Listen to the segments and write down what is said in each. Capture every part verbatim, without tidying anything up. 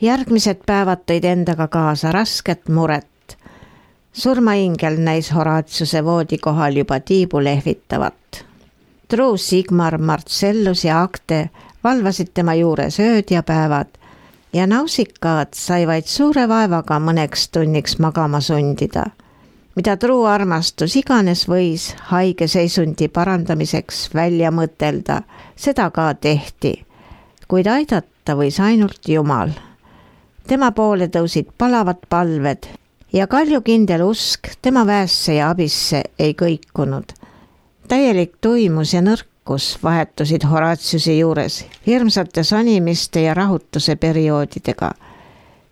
Järgmised päevad tõid endaga kaasa rasket muret. Surmaingel näis Horatiuse voodi kohal juba tiibu lehvitavat. Truu, Sigmar, Marcellus ja Acte valvasid tema juures ööd ja päevad ja Nausikaad sai vaid suure vaevaga mõneks tunniks magama sundida. Mida Truu armastus iganes võis haige seisundi parandamiseks välja mõtelda, seda ka tehti, kuid aidata võis ainult Jumal. Tema poole tõusid palavad palved ja kaljukindel usk tema väesse ja abisse ei kõikunud. Täielik tuimus ja nõrkus vahetusid Horatiuse juures hirmsate sonimiste ja rahutuse perioodidega.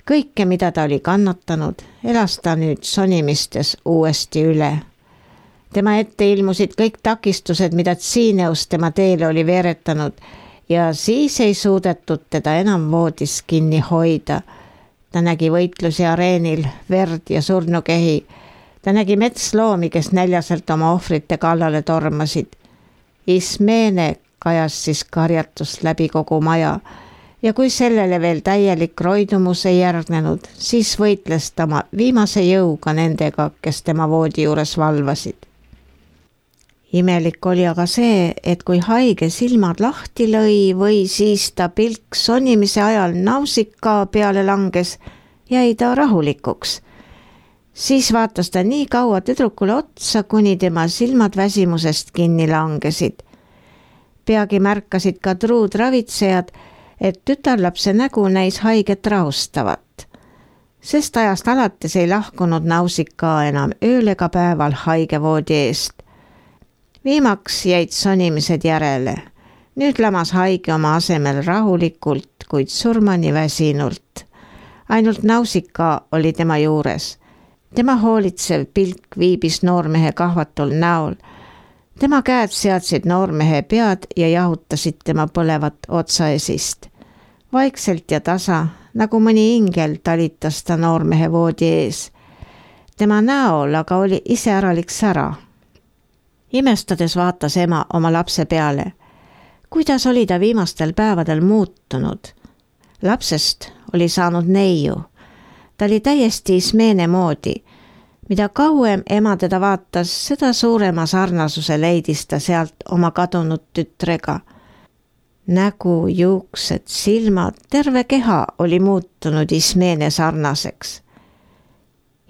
Kõike, mida ta oli kannatanud, elas ta nüüd sonimistes uuesti üle. Tema ette ilmusid kõik takistused, mida Tsineus tema teele oli veeretanud ja siis ei suudetud teda enam voodis kinni hoida. Ta nägi võitlusi areenil, verd ja surnukehi. Ta nägi metsloomi, kes näljaselt oma ohvrite kallale tormasid. Ismeene kajas siis karjatust läbi kogu maja ja kui sellele veel täielik roidumus ei järgnenud, siis võitles ta oma viimase jõuga nendega, kes tema voodi juures valvasid. Imelik oli aga see, et kui haige silmad lahti lõi või siis ta pilk sonimise ajal Nausika peale langes, jäi ta rahulikuks. Siis vaatas ta nii kaua tüdrukule otsa, kuni tema silmad väsimusest kinni langesid. Peagi märkasid ka truud ravitsejad, et tütarlapse nägu näis haiget rahustavat. Sest ajast alates ei lahkunud Nausika enam ööl ega päeval haige voodi eest. Viimaks jäid sonimised järele. Nüüd lamas haige oma asemel rahulikult, kuid surmani väsinult. Ainult Nausika oli tema juures. Tema hoolitsev pilk viibis noormehe kahvatul näol. Tema käed seadsid noormehe pead ja jahutasid tema põlevat otsaesist. Vaikselt ja tasa, nagu mõni ingel, talitas ta noormehe voodi ees. Tema näol aga oli iseäralik sära. Imestades vaatas ema oma lapse peale. Kuidas oli ta viimastel päevadel muutunud? Lapsest oli saanud neiu. Ta oli täiesti Ismeene moodi. Mida kauem ema teda vaatas, seda suurema sarnasuse leidis ta sealt oma kadunud tütrega. Nägu, juuksed, silmad, terve keha oli muutunud Ismeene sarnaseks.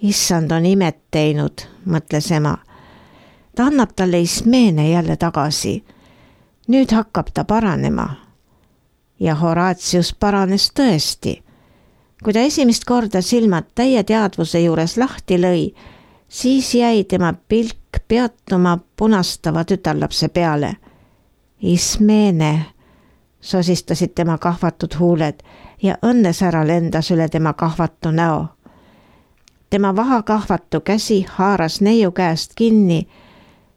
Issand on imet teinud, mõtles ema. Ta annab talle Ismeene jälle tagasi. Nüüd hakkab ta paranema. Ja Horatius paranes tõesti. Kui ta esimest korda silmad täie teadvuse juures lahti lõi, siis jäi tema pilk peatuma punastava tütarlapse peale. Ismeene, sosistasid tema kahvatud huuled ja õnnesära lendas üle tema kahvatu näo. Tema vaha kahvatu käsi haaras neiu käest kinni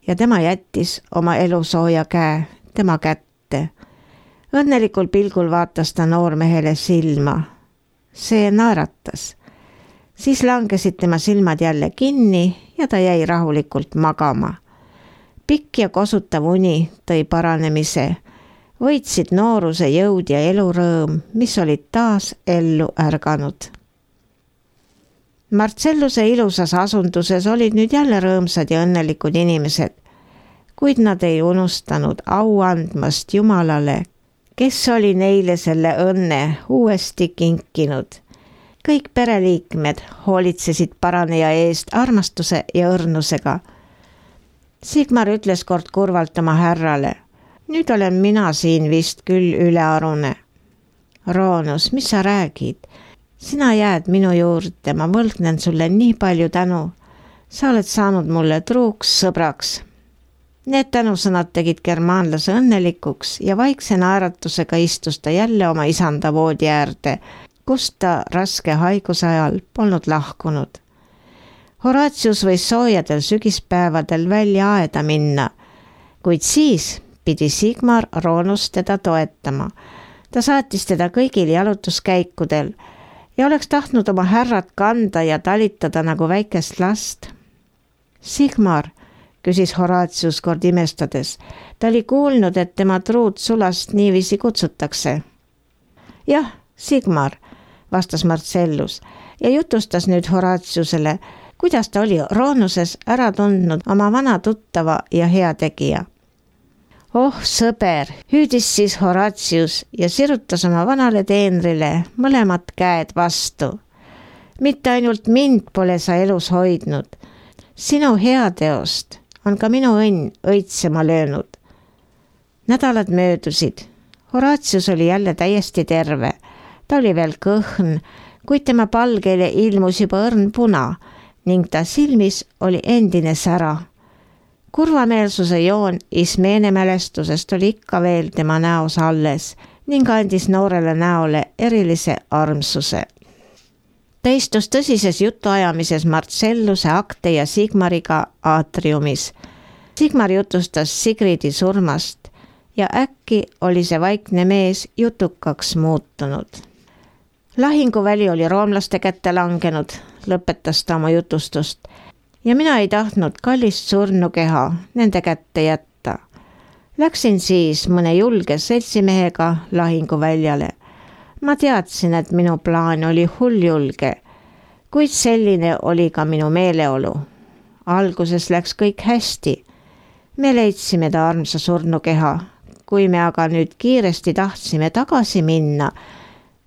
ja tema jättis oma elusooja käe tema kätte. Õnnelikul pilgul vaatas ta noormehele silma. See naeratas. Siis langesid tema silmad jälle kinni ja ta jäi rahulikult magama. Pikk ja kosutav uni tõi paranemise. Võitsid nooruse jõud ja elurõõm, mis olid taas ellu ärganud. Marcelluse ilusas asunduses olid nüüd jälle rõõmsad ja õnnelikud inimesed, kuid nad ei unustanud au andmast Jumalale, kes oli neile selle õnne uuesti kinkinud. Kõik pereliikmed hoolitsesid paraneja eest armastuse ja õrnusega. Sigmar ütles kord kurvalt oma härrale, nüüd olen mina siin vist küll ülearune. Roonus, mis sa räägid? Sina jääd minu juurde, ma võlgnen sulle nii palju tänu. Sa oled saanud mulle truuks sõbraks. Need tänusõnad tegid germaanlase õnnelikuks ja vaikse naeratusega istus ta jälle oma isanda voodi äärde, kust ta raske haiguse ajal polnud lahkunud. Horatius võis soojadel sügispäevadel välja aeda minna, kuid siis pidi Sigmar Roonus teda toetama. Ta saatis teda kõigil jalutuskäikudel ja oleks tahtnud oma härrat kanda ja talitada nagu väikest last. Sigmar, küsis Horatius kord imestades. Ta oli kuulnud, et tema truud sulast niiviisi kutsutakse. Jah, Sigmar, vastas Marcellus ja jutustas nüüd Horatiusele, kuidas ta oli Roonuses ära tundnud oma vana tuttava ja heategija. Oh sõber, hüüdis siis Horatius ja sirutas oma vanale teenrile mõlemad käed vastu. Mitte ainult mind pole sa elus hoidnud. Sinu heateost on ka minu õnn õitsema löönud. Nädalad möödusid. Horatius oli jälle täiesti terve. Ta oli veel kõhn, kuid tema palgeile ilmus juba õrn puna ning ta silmis oli endine sära. Kurvameelsuse joon Ismeene mälestusest oli ikka veel tema näos alles ning andis noorele näole erilise armsuse. Ta istus tõsises jutuajamises Marcelluse, Akte ja Sigmariga aatriumis. Sigmar jutustas Sigridi surmast ja äkki oli see vaikne mees jutukaks muutunud. Lahinguväli oli roomlaste kätte langenud, lõpetas ta oma jutustust ja mina ei tahtnud kallist surnukeha nende kätte jätta. Läksin siis mõne julge seltsimehega lahinguväljale. Ma teadsin, et minu plaan oli hulljulge, kuid selline oli ka minu meeleolu. Alguses läks kõik hästi. Me leidsime ta armsa surnukeha. Kui me aga nüüd kiiresti tahtsime tagasi minna,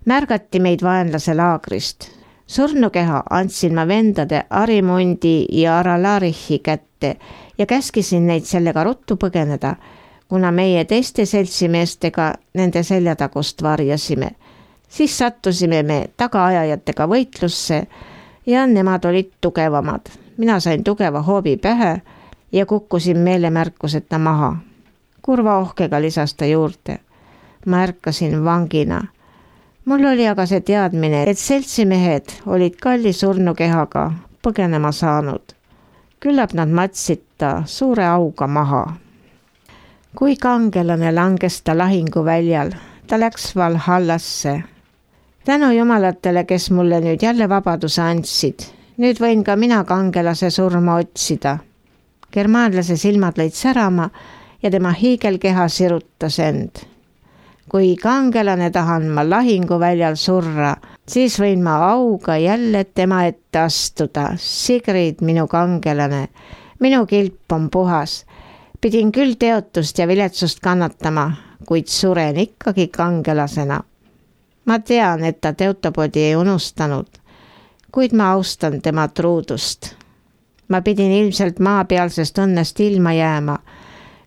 märgati meid vaenlase laagrist. Surnukeha andsin ma vendade Arimundi ja Aralarihi kätte ja käskisin neid sellega ruttu põgeneda, kuna meie teiste seltsimeestega nende seljatagust varjasime. Siis sattusime me tagaajajatega võitlusse ja nemad olid tugevamad. Mina sain tugeva hoobi pähe ja kukkusin meelemärkuseta maha. Kurva ohkega lisas ta juurde. Ma ärkasin vangina. Mul oli aga see teadmine, et seltsimehed olid kalli surnukehaga põgenema saanud. Küllap nad matsid ta suure auga maha. Kui kangelane langes ta lahinguväljal, ta läks Valhallasse. Tänu jumalatele, kes mulle nüüd jälle vabaduse andsid. Nüüd võin ka mina kangelase surma otsida. Germaanlase silmad lõid särama ja tema hiigelkeha sirutas end. Kui kangelane tahan ma lahinguväljal surra, siis võin ma auga jälle tema ette astuda. Sigrid, minu kangelane, minu kilp on puhas. Pidin küll teotust ja viletsust kannatama, kuid suren ikkagi kangelasena. Ma tean, et ta teotopodi ei unustanud, kuid ma austan tema truudust. Ma pidin ilmselt maapealsest õnnest ilma jääma.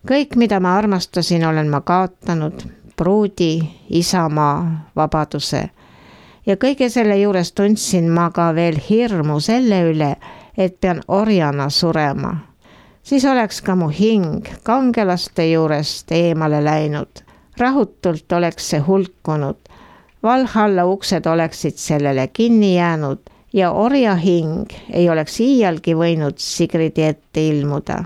Kõik, mida ma armastasin, olen ma kaotanud, pruudi, isamaa, vabaduse. Ja kõige selle juures tundsin ma ka veel hirmu selle üle, et pean orjana surema. Siis oleks ka mu hing kangelaste juurest eemale läinud. Rahutult oleks see hulkunud. Valhalla uksed oleksid sellele kinni jäänud ja orja hing ei oleks iialgi võinud Sigridi ette ilmuda.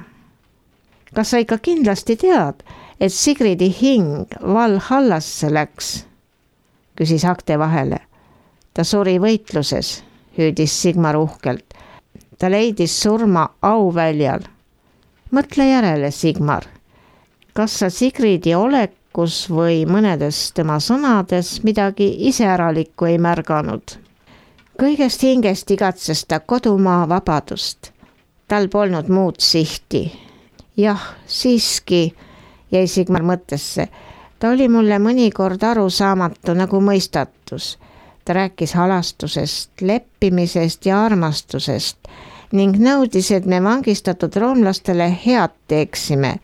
Kas sa ikka kindlasti tead, et Sigridi hing Valhallasse läks? Küsis Akte vahele. Ta suri võitluses, hüüdis Sigmar uhkelt. Ta leidis surma auväljal. Mõtle järele, Sigmar. Kas sa Sigridi olek kus või mõnedes tema sõnades midagi iseäralikku ei märganud. Kõigest hingest igatses ta kodumaa vabadust. Tal polnud muud sihti. Jah, siiski, jäi Sigmar mõttesse. Ta oli mulle mõnikord arusaamatu nagu mõistatus. Ta rääkis halastusest, leppimisest ja armastusest ning nõudis, et me vangistatud roomlastele head teeksime.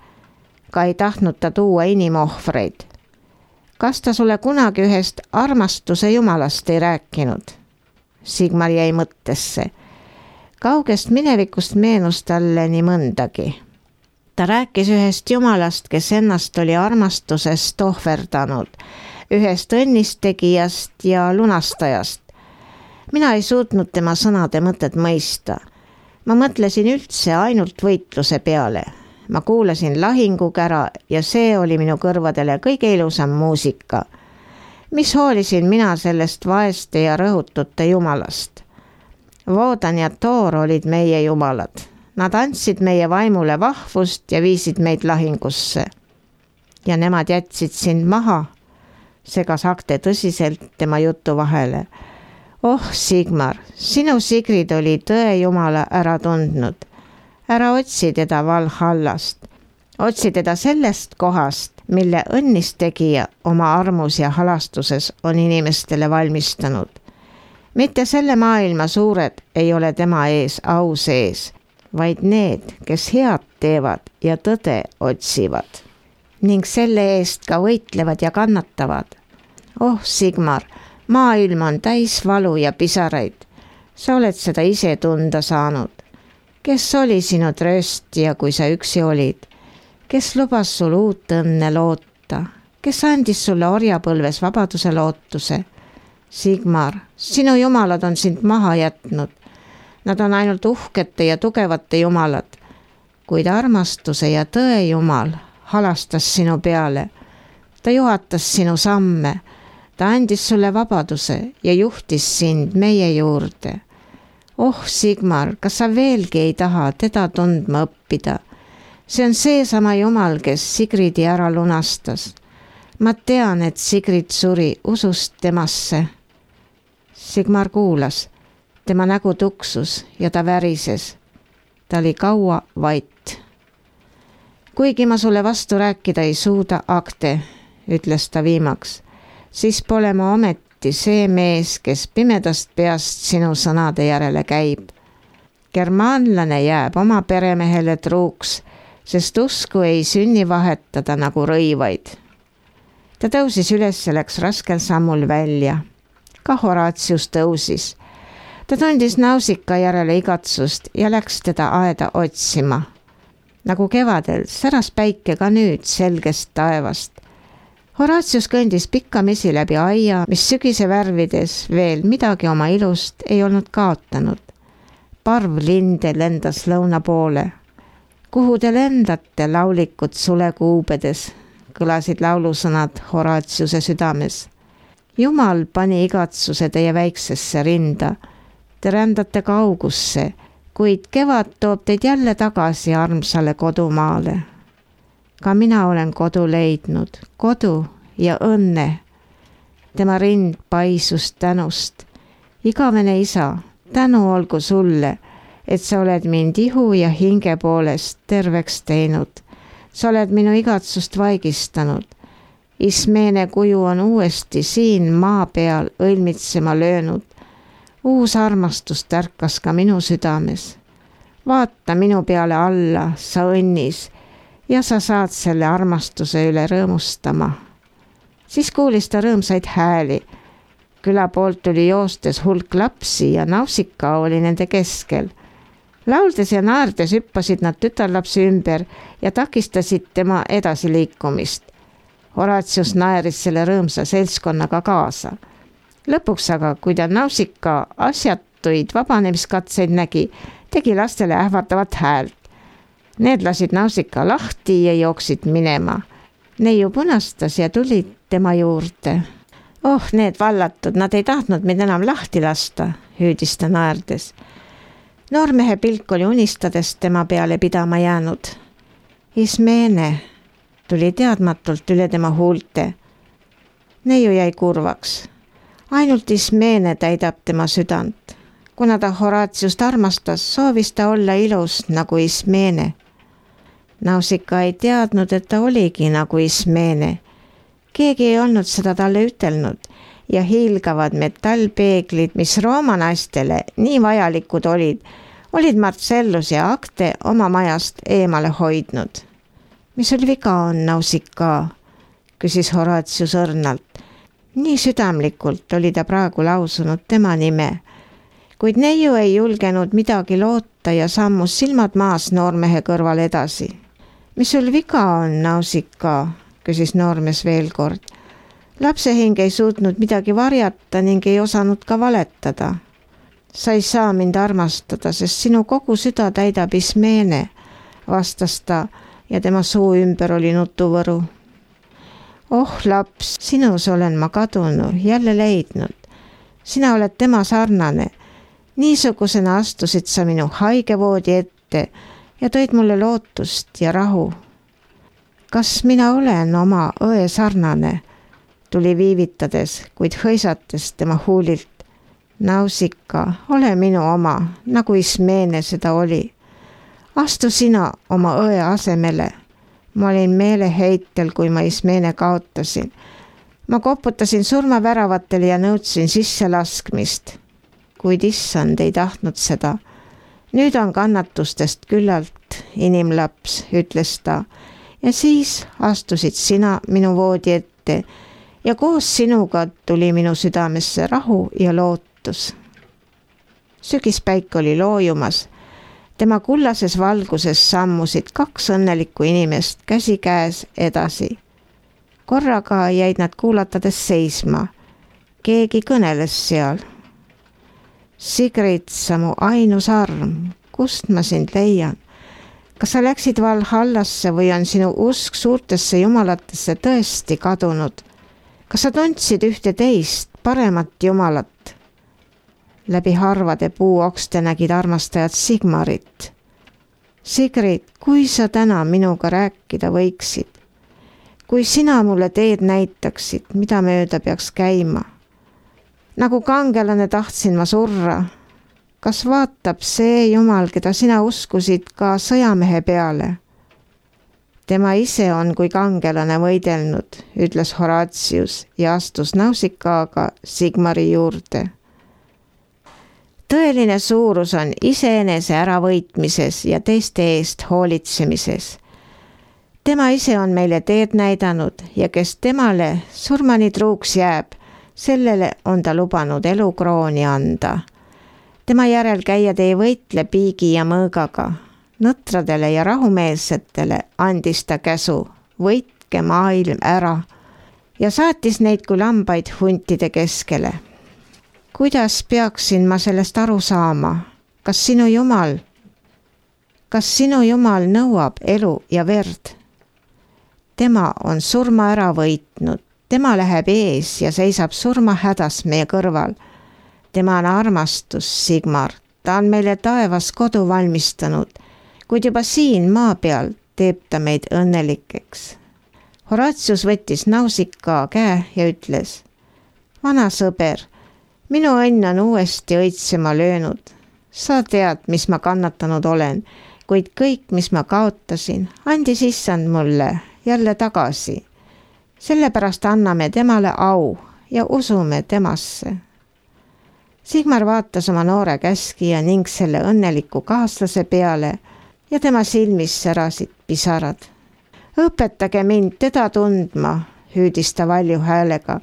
Ka ei tahtnud ta tuua inimohvreid. Kas ta sulle kunagi ühest armastuse jumalast ei rääkinud? Sigmar jäi mõttesse. Kaugest minevikust meenus talle nii mõndagi. Ta rääkis ühest jumalast, kes ennast oli armastusest ohverdanud, ühest õnnistegijast ja lunastajast. Mina ei suutnud tema sõnade mõtet mõista. Ma mõtlesin üldse ainult võitluse peale. Ma kuulasin lahingukära ja see oli minu kõrvadele kõige ilusam muusika. Mis hoolisin mina sellest vaeste ja rõhutute jumalast? Voodan ja Toor olid meie jumalad. Nad andsid meie vaimule vahvust ja viisid meid lahingusse. Ja nemad jätsid sind maha, segas Akte tõsiselt tema jutu vahele. Oh, Sigmar, sinu Sigrid oli tõe jumala ära tundnud. Ära otsi teda Valhallast. Otsi teda sellest kohast, mille õnnistegija oma armus ja halastuses on inimestele valmistanud. Mitte selle maailma suured ei ole tema ees au sees, vaid need, kes head teevad ja tõde otsivad ning selle eest ka võitlevad ja kannatavad. Oh, Sigmar, maailm on täis valu ja pisaraid. Sa oled seda ise tunda saanud. Kes oli sinu trööstija, kui sa üksi olid? Kes lubas sul uut õnne loota? Kes andis sulle orjapõlves vabaduse lootuse? Sigmar, sinu jumalad on sind maha jätnud. Nad on ainult uhkete ja tugevate jumalad, kuid armastuse ja tõe jumal halastas sinu peale. Ta juhatas sinu samme. Ta andis sulle vabaduse ja juhtis sind meie juurde. Oh, Sigmar, kas sa veelgi ei taha teda tundma õppida? See on seesama jumal, kes Sigridi ära lunastas. Ma tean, et Sigrid suri usust temasse. Sigmar kuulas. Tema nägu tuksus ja ta värises. Ta oli kaua vait. Kuigi ma sulle vastu rääkida ei suuda, Akte, ütles ta viimaks, siis pole ma ometi see mees, kes pimedast peast sinu sõnade järele käib. Germaanlane jääb oma peremehele truuks, sest usku ei sünni vahetada nagu rõivaid. Ta tõusis üles ja läks raskel sammul välja. Ka Horatius tõusis. Ta tundis Nausika järele igatsust ja läks teda aeda otsima. Nagu kevadel säras päike ka nüüd selgest taevast. Horatius kõndis pikkamisi läbi aia, mis sügise värvides veel midagi oma ilust ei olnud kaotanud. Parv linde lendas lõuna poole. Kuhu te lendate, laulikud sulekuubedes, kõlasid laulusõnad Horatiuse südames. Jumal pani igatsuse teie väiksesse rinda. Te rändate kaugusse, kuid kevad toob teid jälle tagasi armsale kodumaale. Ka mina olen kodu leidnud, kodu ja õnne. Tema rind paisus tänust. Igavene isa, tänu olgu sulle, et sa oled mind ihu ja hinge poolest terveks teinud. Sa oled minu igatsust vaigistanud. Ismeene kuju on uuesti siin maa peal õilmitsema löönud. Uus armastus tärkas ka minu südames. Vaata minu peale alla, sa õnnis, ja sa saad selle armastuse üle rõõmustama. Siis kuulis ta rõõmsaid hääli. Küla poolt tuli joostes hulk lapsi ja Nausika oli nende keskel. Lauldes ja naerdes hüppasid nad tütarlapsi ümber ja takistasid tema edasiliikumist. Horatius naeris selle rõõmsa seltskonnaga kaasa. Lõpuks aga, kui ta Nausika asjatuid vabanemiskatseid nägi, tegi lastele ähvardavat häält. Need lasid Nausika lahti ja jooksid minema. Neiu punastas ja tulid tema juurde. Oh, need vallatud, nad ei tahtnud mind enam lahti lasta, hüüdis ta naerdes. Noormehe pilk oli unistades tema peale pidama jäänud. Ismeene tuli teadmatult üle tema huulte. Neiu jäi kurvaks. Ainult Ismeene täidab tema südant. Kuna ta Horatiust armastas, soovis ta olla ilus nagu Ismeene. Nausika ei teadnud, et ta oligi nagu Ismeene. Keegi ei olnud seda talle ütelnud ja hiilgavad metallpeeglid, mis Rooma naistele nii vajalikud olid, olid Marcellus ja Akte oma majast eemale hoidnud. Mis sul viga on, Nausika? Küsis Horatius õrnalt. Nii südamlikult oli ta praegu lausunud tema nime, kuid neiu ei julgenud midagi loota ja sammus silmad maas noormehe kõrval edasi. Mis sul viga on, Nausika? Küsis noormees veel kord. Lapsehing ei suutnud midagi varjata ning ei osanud ka valetada. Sa ei saa mind armastada, sest sinu kogu süda täidab Ismeene, vastas ta ja tema suu ümber oli nutuvõru. Oh laps, sinus olen ma kadunu, jälle leidnud. Sina oled tema sarnane. Niisugusena astusid sa minu haigevoodi ette ja tõid mulle lootust ja rahu. Kas mina olen oma õe sarnane? Tuli viivitades, kuid hõisates tema huulilt. Nausicaa, ole minu oma, nagu Ismene seda oli. Astu sina oma õe asemele. Ma olin meeleheitel, kui ma Ismene kaotasin. Ma koputasin surmaväravatele ja nõudsin sisse laskmist. Kuid issand ei tahtnud seda. Nüüd on kannatustest küllalt, inimlaps, ütles ta. Ja siis astusid sina minu voodi ette ja koos sinuga tuli minu südamesse rahu ja lootus. Sügispäik oli loojumas. Tema kullases valguses sammusid kaks õnnelikku inimest käsi käes edasi. Korraga jäid nad kuulatades seisma. Keegi kõneles seal. Sigrid, sa mu ainus arm, kust ma sind leian? Kas sa läksid Valhallasse või on sinu usk suurtesse jumalatesse tõesti kadunud? Kas sa tundsid ühte teist, paremat jumalat? Läbi harvade puuokste nägid armastajad Sigmarit. Sigrid, kui sa täna minuga rääkida võiksid? Kui sina mulle teed näitaksid, mida mööda peaks käima? Nagu kangelane tahtsin ma surra. Kas vaatab see Jumal, keda sina uskusid, ka sõjamehe peale? Tema ise on kui kangelane võidelnud, ütles Horatius ja astus Nausicaaga Sigmari juurde. Tõeline suurus on iseenese äravõitmises ja teiste eest hoolitsemises. Tema ise on meile teed näidanud ja kes temale surmani truuks jääb, sellele on ta lubanud elukrooni anda. Tema järel käijad ei võitle piigi ja mõõgaga. Nõtradele ja rahumeelsetele andis ta käsu, võitke maailm ära ja saatis neid kui lambaid huntide keskele. Kuidas peaksin ma sellest aru saama? Kas sinu Jumal, kas sinu Jumal nõuab elu ja verd? Tema on surma ära võitnud, tema läheb ees ja seisab surma hädas meie kõrval. Tema on armastus, Sigmar, ta on meile taevas kodu valmistanud, kuid juba siin maa peal teeb ta meid õnnelikeks. Horatius võttis Nausicaa käe ja ütles, vana sõber, minu õnn on uuesti õitsema löönud. Sa tead, mis ma kannatanud olen, kuid kõik, mis ma kaotasin, andis issand mulle jälle tagasi. Sellepärast anname temale au ja usume temasse. Sigmar vaatas oma noore käskija ning selle õnneliku kaaslase peale ja tema silmis särasid pisarad. Õpetage mind teda tundma, hüüdis ta valju häälega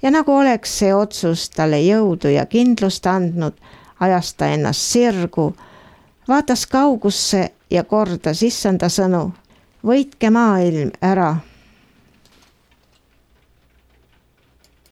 ja nagu oleks see otsus talle jõudu ja kindlust andnud, ajas ta ennast sirgu, vaatas kaugusse ja kordas issanda sõnu. Võitke maailm ära.